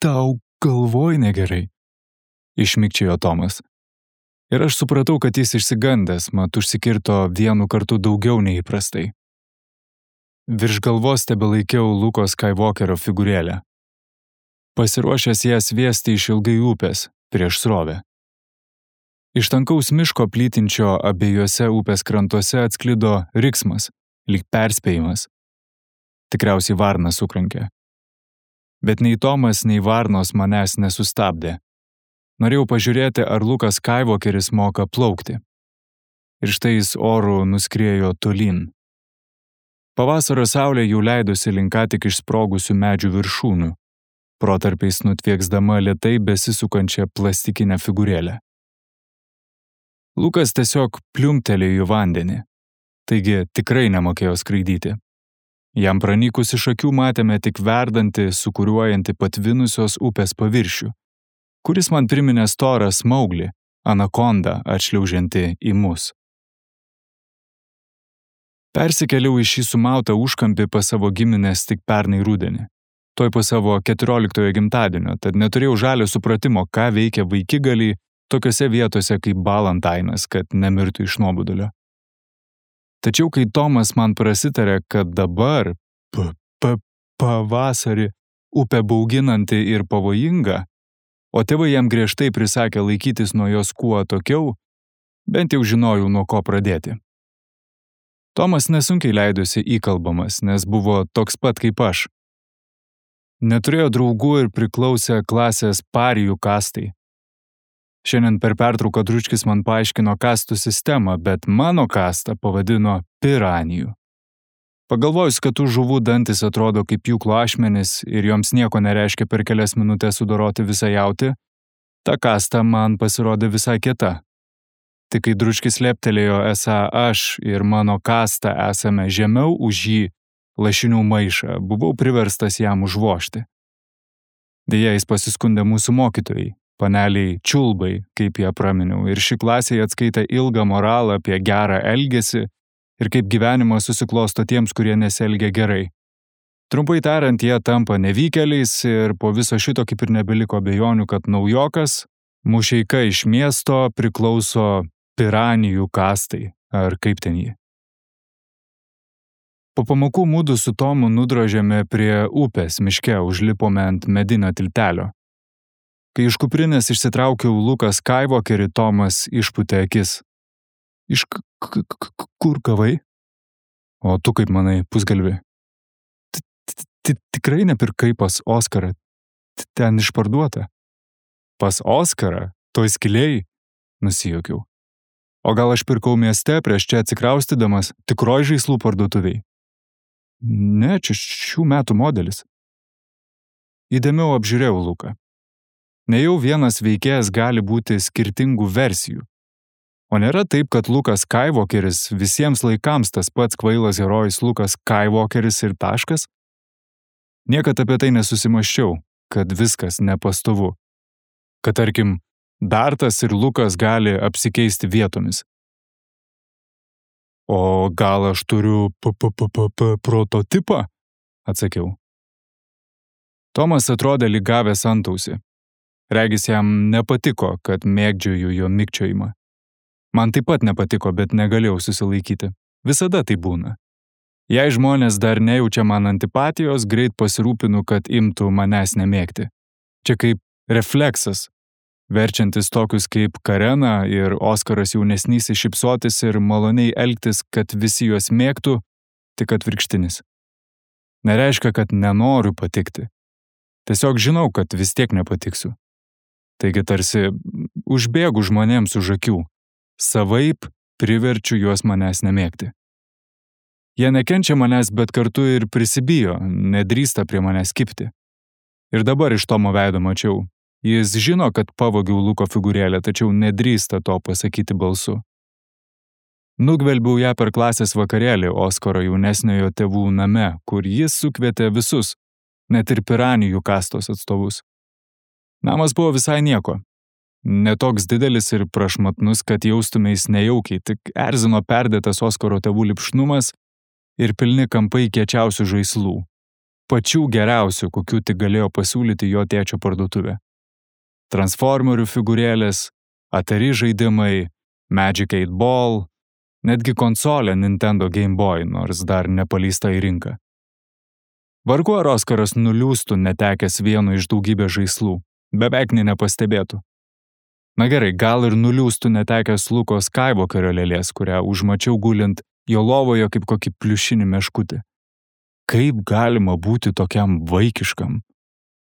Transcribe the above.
Tau galvoj negerai, išmikčiojo Tomas. Ir aš supratau, kad jis išsigandęs, mat užsikirto vienu kartu daugiau nei įprastai. Virš galvos tebelaikiau Luko Skywalkerio figūrėlę. Pasiruošęs ją sviesti iš ilgai upės, prieš srovę. Iš tankaus miško plytinčio abiejose upės krantuose atsklido riksmas, lyg perspėjimas. Tikriausiai varna sukrankė. Bet nei Tomas, nei varnos manęs nesustabdė. Norėjau pažiūrėti, ar Lukas Skywalkeris moka plaukti. Ir štai jis oru nuskriejo tolyn. Pavasario saulė jau leidosi link ką tik išsprogusių medžių viršūnių, protarpiais nutvieksdama lėtai besisukančią plastikinę figūrėlę. Lukas tiesiog pliumptelėjo į vandenį, taigi tikrai nemokėjo skraidyti. Jam pranykus iš akių matėme tik verdantį, sukuriuojantį patvinusios upės paviršių, kuris man priminė storą smauglį, anakondą atšliaužiantį į mus. Persikėliau į šį sumautą užkampį pas savo giminės tik pernai rudenį, toj po savo 14 gimtadienio, tad neturėjau žalio supratimo, ką veikia vaikigaliai tokiose vietose kaip Balantainas, kad nemirtų iš nuobodulio. Tačiau kai Tomas man prasitarė, kad dabar, pavasarį, upė bauginanti ir pavojinga, o tėvai jam griežtai prisakė laikytis nuo jos kuo atokiau, bent jau žinojau, nuo ko pradėti. Tomas nesunkiai leidosi įkalbamas, nes buvo toks pat kaip aš. Neturėjo draugų ir priklausė klasės parijų kastai. Šiandien per pertrauką Dručkis man paaiškino kastų sistemą, bet mano kastą pavadino piranijų. Pagalvojus, kad tų žuvų dantis atrodo kaip pjūklo ašmenys ir joms nieko nereiškia per kelias minutės sudoroti visą jautį, ta kasta man pasirodė visai kieta. Tik kai Dručkis leptelėjo, esą aš ir mano kasta esame žemiau už jį lašinių maišą, buvau priverstas jam užvožti. Deja, jis pasiskundė mūsų mokytojai, paneliai čiulbai, kaip ją praminiau, ir ši klasė atskaitė ilgą moralą apie gerą elgesį ir kaip gyvenimas susiklosto tiems, kurie nesielgia gerai. Trumpai tariant, jie tampa nevykėliais ir po viso šito kaip ir nebeliko abejonių, kad naujokas, mušeika iš miesto, priklauso piranijų kastai, ar kaip ten jį. Po pamokų mudu su Tomu nudrožėme prie upės miške, užlipome ant medinio tiltelio. Kai iš kuprinės išsitraukiau Luką Skywalkerį, Tomas išpūtė akis. Iš kur gavai? O tu kaip manai, pusgalvi? Tikrai nepirkai pas Oskarą. Ten išparduota. Pas Oskarą? Toj skiliai? Nusijuokiau. O gal aš pirkau mieste prieš čia atsikraustydamas tikroj žaislų parduotuviai? Ne, čia šių metų modelis. Įdėmiau apžiūrėjau Luką. Nejau vienas veikėjas gali būti skirtingų versijų. O nėra taip, kad Lukas Skywalkeris visiems laikams tas pats kvailas herojus Lukas Skywalkeris ir taškas? Niekad apie tai nesusimąsčiau, kad viskas nepastovu. Kad tarkim, Dartas ir Lukas gali apsikeisti vietomis. O gal aš turiu prototipą? Atsakiau. Tomas atrodė lyg gavęs antausį. Regis jam nepatiko, kad mėgdžioju jo mikčiojimą. Man taip pat nepatiko, bet negalėjau susilaikyti. Visada tai būna. Jei žmonės dar nejaučia man antipatijos, greit pasirūpinu, kad imtų manęs nemėgti. Čia kaip refleksas, verčiantis tokius kaip Karena ir Oskaras jaunesnysis šypsotis ir maloniai elgtis, kad visi juos mėgtų, tik atvirkštinis. Nereiškia, kad nenoriu patikti. Tiesiog žinau, kad vis tiek nepatiksiu. Taigi tarsi užbėgu žmonėms už akių, savaip priverčiu juos manęs nemėgti. Jie nekenčia manęs, bet kartu ir prisibijo, nedrįsta prie manęs kibti. Ir dabar iš Tomo veido mačiau. Jis žino, kad pavogiau Luko figūrėlę, tačiau nedrįsta to pasakyti balsu. Nugvelbiau ją per klasės vakarėlį Oskaro jaunesniojo tėvų name, kur jis sukvietė visus, net ir piranijų kastos atstovus. Namas buvo visai nieko. Netoks didelis ir prašmatnus, kad jaustumeis nejaukiai, tik erzino perdėtas Oskaro tėvų lipšnumas ir pilni kampai kiečiausių žaislų. pačių geriausių, kokių tik galėjo pasiūlyti jo tėčio parduotuvė. Transformerių figūrėlės, Atari žaidimai, Magic 8 Ball, netgi konsolė Nintendo Game Boy, nors dar nepaleista į rinką. Vargu ar Oskaras nuliūstų netekęs vieno iš daugybės žaislų, beveik nepastebėtų. Na gerai, gal ir nuliūstų netekęs Luko Skywalkerio lėlės, kurią užmačiau gulint jo lovoje kaip kokį pliušinį meškutį. Kaip galima būti tokiam vaikiškam?